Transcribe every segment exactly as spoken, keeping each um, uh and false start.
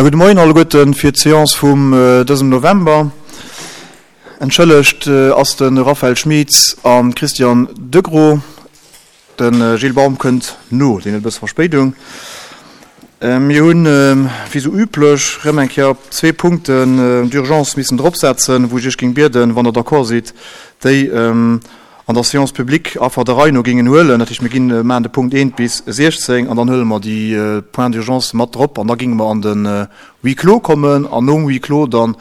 Gudde Moien alleguerten fir d'Seance vum dësem November. Entschëllegt ass de Raphaël Schmitz an Christian Degros. De Gilles Baum kënnt no, deen huet e bësse Verspéidung. Mir hunn, wéi sou üblech, rëm eng Kéier zwee Punkten d'urgence missen dropsetzen, wou ech Iech géing bieden, wann Der d'accord sidd, déi an der Séance publique einfach der Rei no géingen huelen. Dat heescht, mir ginn, maachen de Punkt eent bis siechzéng an dann huele mer déi Points d'urgence mat drop an da géinge mer an de Huis clos kommen an nom Huis clos dann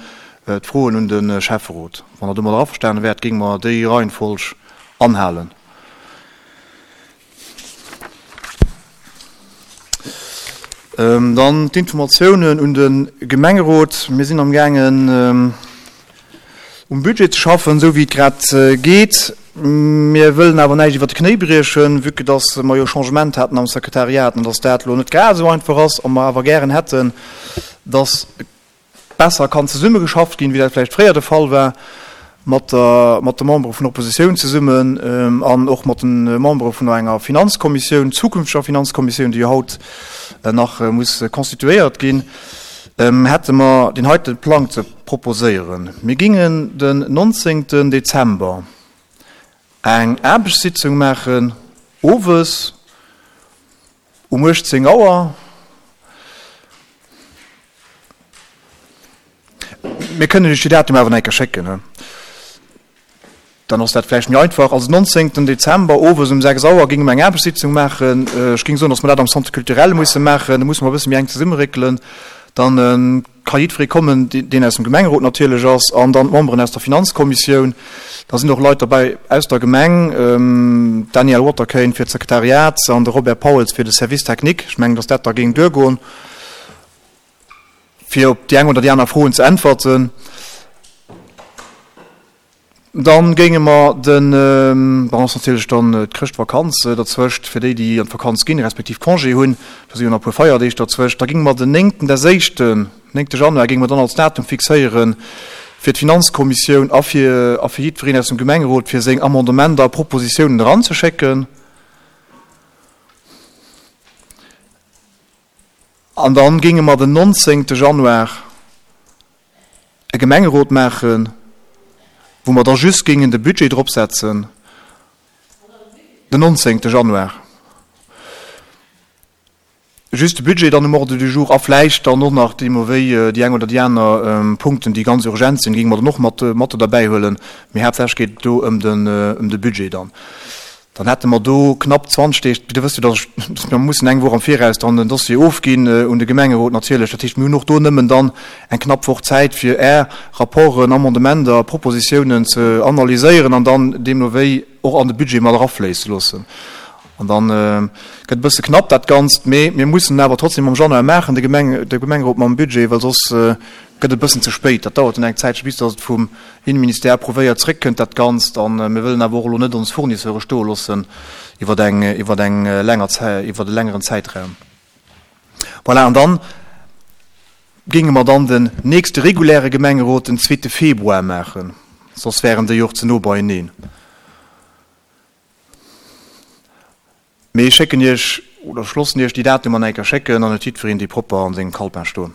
d'Froen un de Schäfferot. Wann Der domadder averstane wäert, géinge mer déi Reihenfolg anhalen. Dann d'Informatiounen un de Gemengerot. Mir sinn amgaangen, um Budget ze schaffen, esou wéi et grad geet. Mir wëllen awer näischt iwwert de Knéi briechen, vue que dass mer jo Changement haten am Sekretariat an dass dat elo net grad esou einfach ass a mer awer gären hätten, dass besser kann zesummegeschafft ginn, wéi dat vläicht fréier de Fall war, mat der, mat de Membere vun der Oppositioun zesummen an och mat de Membere vun enger Finanzkommissioun, zukünfteger Finanzkommissioun, déi jo haut nach muss constituéiert ginn, hätte mer deen heite Plang ze proposéieren. Mir gingen den nonzéngten Dezember eng Aarbechtssitzung maachen, owes um uechtzéng Auer. Mir kënnen Iech déi Datum awer nach eng Kéier schécken, dann ass dat vläicht méi einfach. Also nonzéngten Dezember owes um sechs Auer géinge mer eng Aarbechtssitzung maachen. Ech géing soen, datt mer dat am Centre culturel musse maachen. Do musse mer e bësse méi enk zesummeréckelen. Dann ka jiddweree kommen, deen aus dem Gemengerot natierlech ass, an dann d'Memberen aus der Finanzkommissioun. Da sinn och Leit derbäi aus der Gemeng, d'Danièle Waterkeyn fir d'Sekretariat an de Robert Pauls fir de Service technique. Ech mengen, datt dat da géing duergoen, fir op déi eng oder déi aner Froen ze äntwerten. Dann géinge mer den, bon, ass natierlech dann d'Chrëschtvakanz derzwëscht, fir déi, déi an d'Vakanz ginn, respektiv Congé hunn, do si jo nach e puer Feierdeeg derzwëscht, da géinge mer den néngten des éischten, néngte Januar géinge mer dann als Datum fixéiere fir d'Finanzkommissioun a fir, a fir jiddwereen aus dem Gemengerot, fir seng Amendementer a Propositiounen eranzeschécken. An dann géinge mer den nonzéngte Januar e Gemengerot maachen, wou mer da just géingen de Budget dropsetzen, den nonzéngte Januar, just de Budget dann um Ordre du jour a vläicht dann och nach deemno wéi déi eng oder déi aner Punkten, déi ganz urgent sinn, géinge mer dann och mat, mat derbäihuelen. Mee haaptsächlech geet et do ëm den, ëm de Budget dann. Dann hätte mer do knapp zwanzeg Deeg. Dir wësst jo, dass ech, mir mussen eng Woch am Viraus dann den Dossier ofginn un de Gemengerot natierlech. Dat heescht, mir hunn och do nëmmen dann eng knapp Woch Zäit, fir Är Rapporten, Amendementer, Propositiounen ze analyséieren an dann deemno wéi och an de Budget mat erafléisse loossen. An dann gëtt e bësse knapp dat Ganzt, mee mir mussen en awer trotzdem am Januar maachen, de Gemeng, de Gemengerot mam Budget, well soss gëtt et e bëssen ze spéit. Dat dauert dann eng Zäitche bis datt et vum Innenministère approuvéiert zréckkënnt dat Ganzt. A mir wëllen awer och elo net ons Fournisseure stoe loossen iwwer eng, iwwer eng länger Zäit, iwwer e längeren Zäitraum. Voilà, an dann géinge mer dann den nächste reguläre Gemengerot den zweete Februar maachen, soss wären déi och ze no beieneen. Mee ech schécken Iech, oder ech loossen Iech déi Datumer nach eng Kéier schécken, dann huet jiddwereen déi propper an sengem Calepin stoen.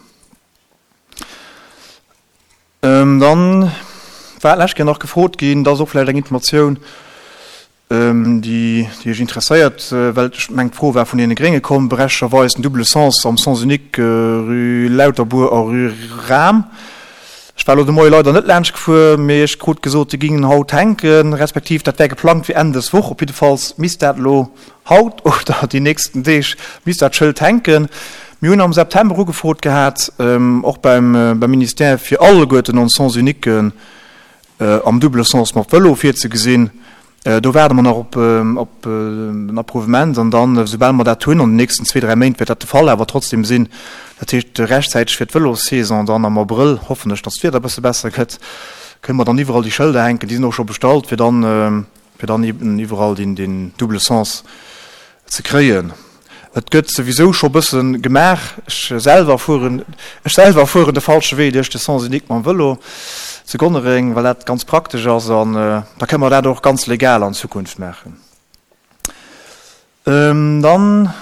Dann war d'lescht Kéier nach gefrot ginn, dat ass och vläicht eng Informatioun, déi Iech interesséiert, well ech mengen d'Fro war vun deene Grénge komm, berechtegerweis, den double sens am Sens unique rue Lauterbour a rue Rahm. Ech war elo de Moie leider net laanscht gefuer, mee ech krut gesot, déi gingen haut hänken, respektiv dat wär geplangt fir Enn dës Woch. Op jiddefalls misst dat elo haut oder déi nächsten Deeg misst dat Schëld hänken. Mir hunn am September ugefrot gehat, och beim Ministère, fir alleguerten ons Sens uniquen am double sens mat Vëlo virzegesinn. Do waarde mer nach op op en Approuvement an dann, soubal mer dat hunn, an den nächsten zwee, dräi Méint wäert dat de Fall awer trotzdem sinn, dat heescht rechtzäiteg fir d'Vëlossaison dann am Abrëll, hoffen ech, datt d'Wieder e bësse besser gëtt, kënne mer dann iwwerall déi Schëlder hänken, déi sinn och scho bestallt, fir dann fir dann eben iwwerall deen deen double sens ze kréien. Et gëtt souwisou scho bësse gemaach. Ech selwer fueren, ech selwer fueren de falsche Wee duerch de Sens unique mam Vëlo zu Gonnereng, well dat ganz praktesch ass an da kënne mer dat och ganz legal an Zukunft maachen. Dann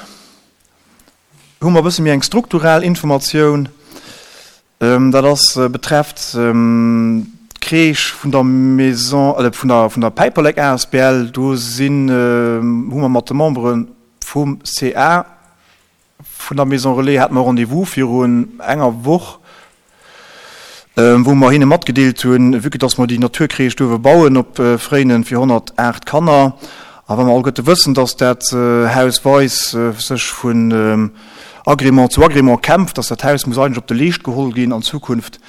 hu mer e bësse méi eng struktural Informatioun. Dat ass betrefft d'Crèche vun der Maison, vun der vun der Päiperlek asbl. Do sinn, hu mer mat de Membere vum CA vun der Maison Relais hate mer Rendez-vous virun enger Woch, wou mer hinne matgedeelt hunn, vue que dass mer déi Naturcrèche duerfe bauen op Fréinen fir honnertaacht Kanner, a wa mer alleguerte wëssen, dass dat Haus Weis sech vun Agrément zu Agrément kämpft, dass dat Haus muss eigentlech op de Leescht geholl ginn an Zukunft,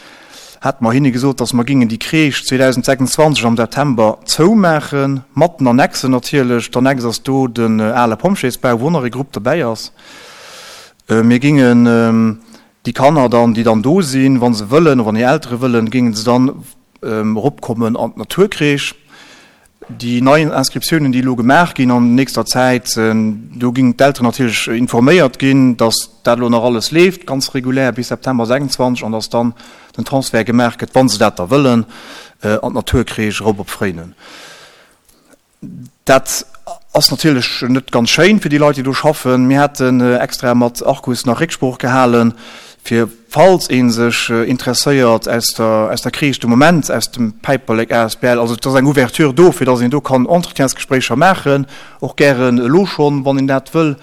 hate mer hinne gesot, dass mer gingen déi Crèche zweedausendsechsundzwanzeg am September zoumaachen, mat den Annexen natierlech. D'Annex ass do den ale Pompjeesbau, wou och nach ee Grupp derbäi ass. Mir gingen déi Kanner dann, déi dann do sinn, wa se wëllen, wann hir Eltere wëllen, gingen se dann eropkommen an d'Naturcrèche. Déi nei Inscriptiounen, déi elo gemaach ginn an nächster Zäit, do ginn d'Elteren natierlech informéiert ginn, dass dat elo nach alles leeft, ganz regulär bis September sechsundzwanzeg, an dass dann den Transfert gemaach gëtt, wa se dat da wëllen, an d'Naturcrèche erop op Fréinen. Dat ass natierlech net ganz schéin fir déi Leit, déi do schaffen. Mir haten extra mat Arcus nach Récksprooch gehalen, fir falls ee sech interesséiert aus der, aus der Crèche de Moment, aus dem Päiperlek asbl. Also et ass eng Ouverture do, fir datt een do kann Entretiensgespréicher maachen, och gären elo schonn, wann een dat wëll,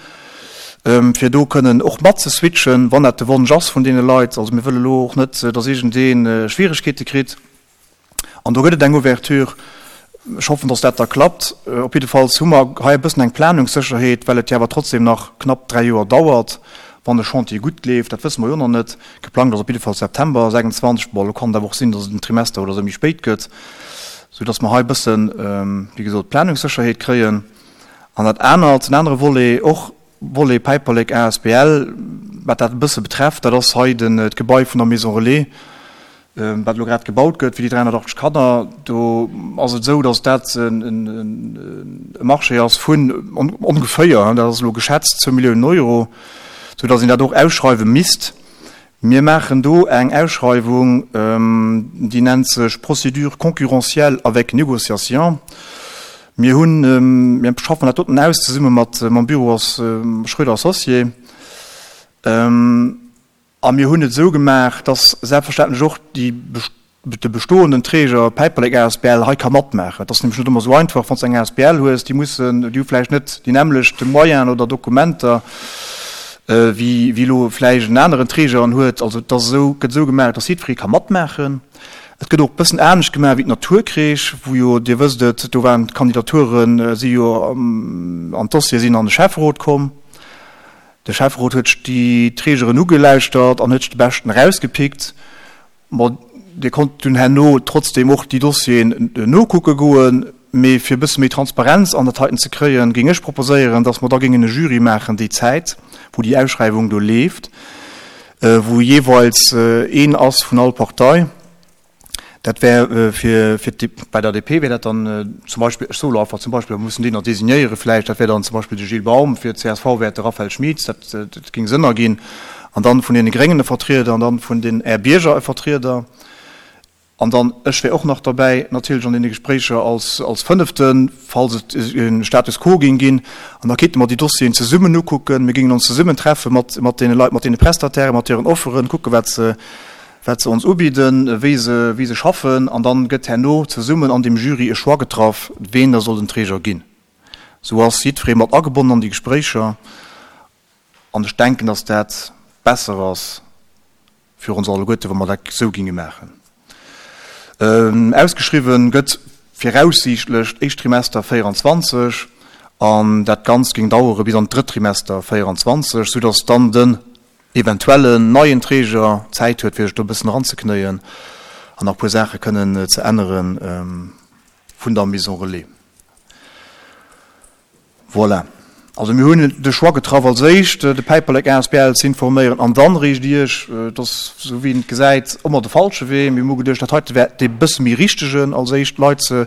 fir do kënnen och mat ze switchen, wann dat de Wonsch ass vun deene Leit. Also mir wëlle lo och net, datt iergendee Schwieregkeete kritt. An do gëtt et eng Ouverture. Ech hoffen, datt dat da klappt. Op jiddefalls hu mer hei e bëssen eng Planungssécherheet, well et jo awer trotzdem nach knapp dräi Joer dauert, wann de Chantier gutt leeft. Dat wësse mer jo nach net. Geplangt ass op jiddefalls September sechsundzwanzeg. Bon, elo kann et awer och sinn, datt et en Trimester oder esou méi spéit gëtt, soudatt mer hei e bëssen, wéi gesot, Planungssécherheet kréien. An dat anert, den anere Volet, och Volet Päiperlek asbl, wat dat e bësse betrefft, dat ass hei den, d'Gebai vun der Maison Relais, wat elo grad gebaut gëtt fir déi dräihonnertachtzeg Kanner. Do ass et esou, datt dat e Marché ass vun ongeféier, dat ass elo geschätzt, zwou Milliounen Euro, soudatt een dat och ausschreiwe misst. Mir maachen do eng Ausschreiwung, déi nennt sech Procédure concurrentielle avec négociation. Mir hunn, mir schaffen dat doten aus zesumme mat mam Büro Schröder Associés. A mir hunn et esou gemaach, dass selbstverständlech och déi, de bestoenden Träger Päiperlek asbl hei ka matmaachen. Et ass nämlech net ëmmer esou einfach, wann s de eng asbl hues, déi mussen, déi hu vläicht net déi nämmlecht Moyenen oder Dokumenter, wéi, wéi elo vläicht en aneren Träger en huet. Also et ass esou, gëtt esou gemaach, dass jiddweree ka matmaachen. Et gëtt och e bëssen anescht gemaach wéi d'Naturcrèche, wou jo, Dir wësst et, do waren d'Kandidaturen si jo an d'Dossiere sinn an de Schäfferot komm. De Schäfferot huet sech déi Trägeren ugelauschtert an huet sech de Beschten erausgepickt. Bon, Dir konnt dunn herno trotzdem och déi Dossieren nokucke goen, mee fir e bësse méi Transparenz an dat heiten ze kréien, géing ech proposéieren, dass mer da géingen e Jury maachen déi Zäit, wou déi Ausschreiwung do leeft, wou jeeweils een ass vun all Partei. Dat wär fir, fir d'D, bei der D P wär dat dann zum Beispill, ech soe lo einfach zum Beispill, mer mussen deen nach designéiere vläicht, dat wär dann zum Beispill de Gilles Baum, fir d'C S V wär et de Raphaël Schmit, dat, dat géing Sënn erginn, an dann vun deene Gréngen e Vertrieder an dann vun den Är Bierger e Vertrieder an dann ech wär och nach derbäi natierlech an deene Gespréicher als, als Fënneften, falls et e Status quo géing ginn. An da kéinte mer déi Dossieren zesummen ukucken, mir géingen ons zesummen treffe mat, mat deene Leit, mat deene Prestatairen, mat hiren Offeren, kucke wat se, wat se ons ubidden, wéi se, wéi se schaffen, an dann gëtt herno zesummen an deem Jury e Choix getraff, ween da soll den Träger ginn. Sou ass jiddweree mat agebonnen an déi Gespréicher, an ech denken, dass dat besser ass fir ons alleguerte, wa mer dat esou ginge maachen. Ausgeschriwwen gëtt viraussiichtlech d'éischt Trimester véieranzwanzeg, an dat Ganzt géing dauere bis an d'drëtt Trimester véieranzwanzeg, soudass dann den eventuellen neien Träger Zäit huet, fir sech do e bëssen eranzeknéien an nach e puer Saache kënnen ze ännere vun der Maison Relais. Voilà. Also mir hunn de Choix getraff, als éischt de Päiperlek asbl ze informéieren an dann eréischt Iech. Et ass, esou wéi een et gesäit, ëmmer de falsche Wee. Mir hu geduecht, dat heite wär dee bësse méi richtegen, als éischt d'Leit ze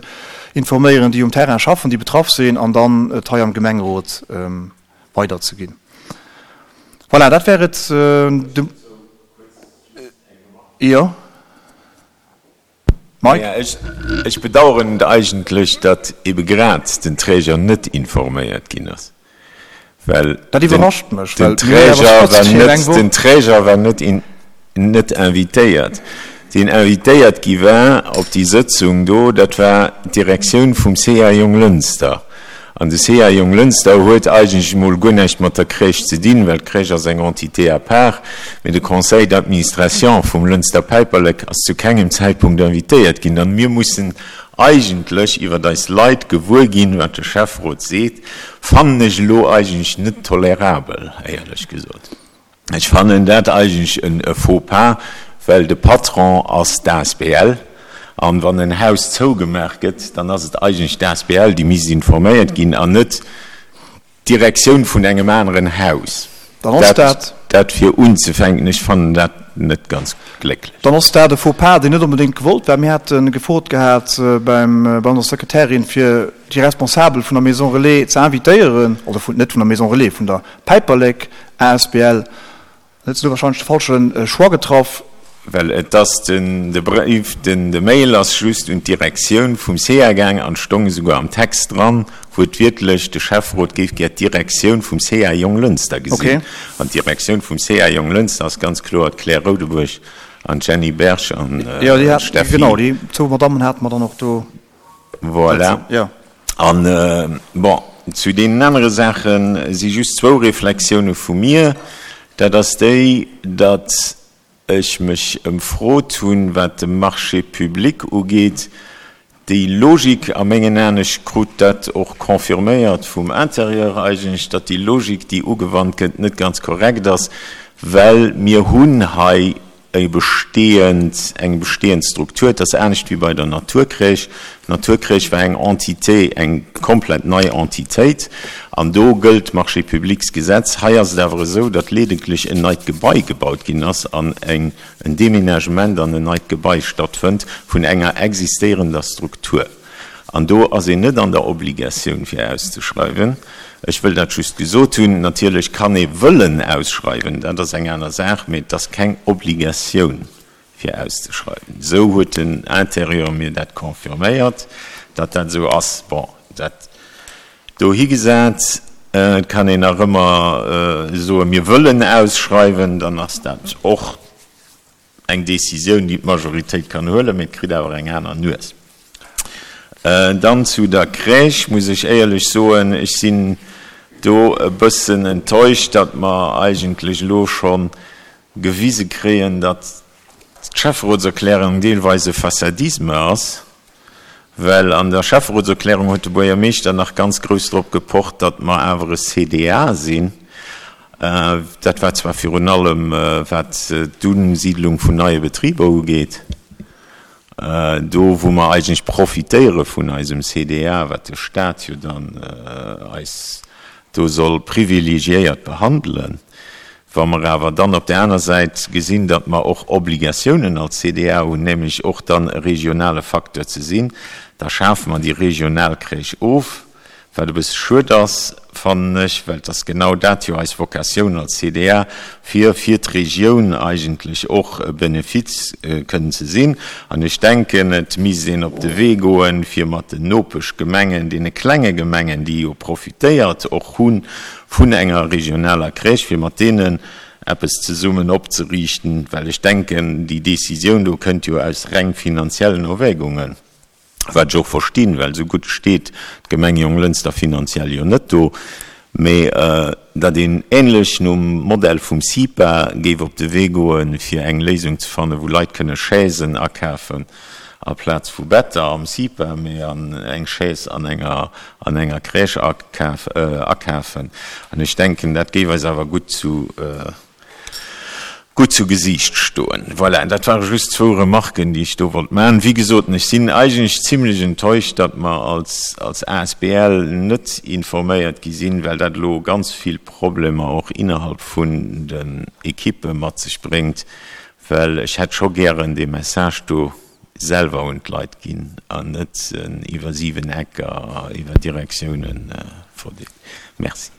informéieren, déi um Terrain schaffen, déi betraff sinn, an dann et hei am Gemengerot weiderzeginn. Voilà, dat wär et. De, jo. Mike? Naja, ech, ech bedauern et eigentlech, datt ebe grad den Träger net informéiert ginn ass, well Dat den, iwwerrascht mech, den well mir hunn awer Träger war trotzdem net, eng Woch. den Träger war net in, net invitéiert. Deen invitéiert gi war op déi Sëtzung do, dat war d'Direktioun vum C A Jonglënster. An de C A Jonglënster huet eigentlech emol guer näischt mat der Crèche ze dinn, well d'Crèche ass eng Entité à part. Mee de Conseil d'administration vum Lënster Päiperlek ass zu kengem Zäitpunkt invitéiert ginn. An mir mussen eigentlech iwwer eis Leit gewuer ginn, wat de Schäfferot seet, fannen ech elo eigentlech net tolerabel, éierlech gesot. Ech fannen dat eigentlech en Faux pas, well de Patron ass d'A S B L, an wann en Haus zougemaach gëtt, dann ass et eigentlech d'A S B L, déi misst informéiert ginn, an net d'Direktioun vun engem aneren Haus. Dann ass dat. Dat fir unzefänken, ech fannen dat net ganz glécklech. Dann ass dat e Faux pas, deen net onbedéngt gewollt war. Mir hate gefrot gehat beim, bei onser Sekretärin, fir déi Responsabel vun der Maison Relais ze invitéieren, oder vun, net vun der Maison Relais, vun der Päiperlek A S B L. Dann huet se do wahrscheinlech de falsche Choix getraff. Well et ass den, de Bréif, den, de Mail ass just un d'Direktioun vum C A gaang an stong esouguer am Text dran, wuertwiertlech, de Schäfferot géif gär d'Direktioun vum C A Jonglënster gesinn. Okay. An d'Direktioun vum C A Jonglënster ass ganz kloer d'Claire Rodebuerg an d'Jenny Berg an Jo, déi hat, d'Steffi. Genau, déi zwou Madammen hate mer dann och do. Voilà. Jo. An, bon, zu deenen anere Saache si just zwou Reflexioune vu mir. Dat ass déi, datt ech mech ëmfrot hunn, wat de Marché public ugeet. Déi Logik a mengen Aen, ech krut dat och confirméiert vum Intérieur eigentlech, datt déi Logik, déi ugewannt gëtt, net ganz korrekt ass, well mir hunn hei e bestehend, eng bestehend Struktur. Et ass anescht wéi bei der Naturcrèche. D'Naturcrèche war eng Entité, eng komplett nei Entitéit, an do gëllt d'Marchés-publics-Gesetz. Hei ass et awer esou, datt ledeglech en neit Gebai gebaut ginn ass an eng, en Déménagement an en neit Gebai stattfënnt vun enger existéierender Struktur. An do ass een net an der Obligatioun fir auszeschreiwen. Ech wëll dat just gesot hunn. Natierlech kann ee wëllen ausschreiwen, dat ass eng aner Saach, mee et ass keng Obligatioun fir auszeschreiwen. Esou huet den Intérieur mir dat confirméiert, datt dat esou ass. Bon, dat dohigesat, et kann een nach ëmmer soen, mir wëllen ausschreiwen, dann ass dat och eng Décisioun, déi d'Majoritéit kann huelen, mee et kritt awer eng aner Nues. Dann zu der Crèche muss ech éierlech soen, ech sinn do e bëssen enttäuscht, datt mer eigentlech elo scho gewise kréien, datt d'Schäfferotserklärung deelweis e Façadisme ass, well an der Schäfferotserklärung huet de Buergermeeschter nach ganz grouss drop gepocht, datt mer awer e C D A sinn. Dat war zwar virun allem wat d'Usiidlung vun neie Betriber ugeet, do wou mer eigentlech profitéiere vun eisem C D A, wat de Staat jo dann eis do soll privilegiéiert behandelen. Wa mer awer dann op där aner Säit gesinn, datt mer och Obligatiounen als C D A hunn, nämlech och dann e regionale Facteur ze sinn, da schafe mer déi regional Crèche of, wat e bësse schued ass, fannen ech, well et ass genau dat jo eis Vocatioun als C D A, fir fir d'Regioun eigentlech och e Benefiz kënnen ze sinn. An ech denken, et misst een op de Wee goen, fir mat den Nopeschgemengen, deene klenge Gemengen, déi jo profitéiert och hu vun enger regionaler Crèche, fir mat deenen eppes zesummen opzeriichten, well ech denken, déi Décisioun do kënnt jo aus reng finanziellen Erwägungen, wat ech och verstinn, well esou gutt steet d'Gemeng Jonglënster finanziell jo net do, mee datt een ähnlech nom Modell vum CIPA géif op de Wee goen, fir eng Léisung ze fannen, wou Leit kënne Chaisen akafen aplaz vu Better am CIPA, mee an eng Chaise an enger an enger Crèche akafen. An ech denken, dat géif eis awer gutt zu gutt zu Gesiicht stoen. Voilà, dat ware just zwou Remarken, déi ech do wollt maachen. Wéi gesot, ech sinn eigentlech zimlech enttäuscht, datt mer als als A S B L net informéiert gi sinn, well dat elo ganz vill Problemer och innerhalb vun den Ekippe mat sech bréngt, well ech hätt scho gären dee Message do selwer un d'Leit ginn an net iwwer siwen Ecker, iwwer Direktiounen verdeelt. Merci.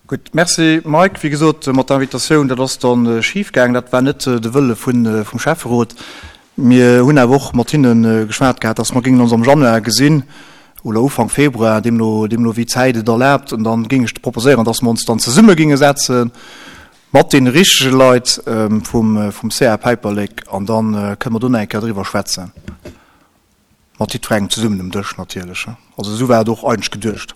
Gutt, merci Mike. Wéi gesot, mat der Invitatioun, dat ass dann schif gaangen. Dat war net de Wëlle vum Schäfferot. Mir hunn awer och mat hinne geschwat gehat, dass mer géingen ons am Januar gesinn oder Ufank Februar, deemno deemno wéi d'Zäit et erlaabt. An da géing ech proposéieren, dass mer ons dann zesumme géinge setzen. mat deene richtege Leit vum vum C A Päiperlek an da kënne mer do nach eng Kéier driwwer schwätzen. Mat jiddwerengem zesummen um Dësch natierlech. Also esou war et och eigentlech geduecht.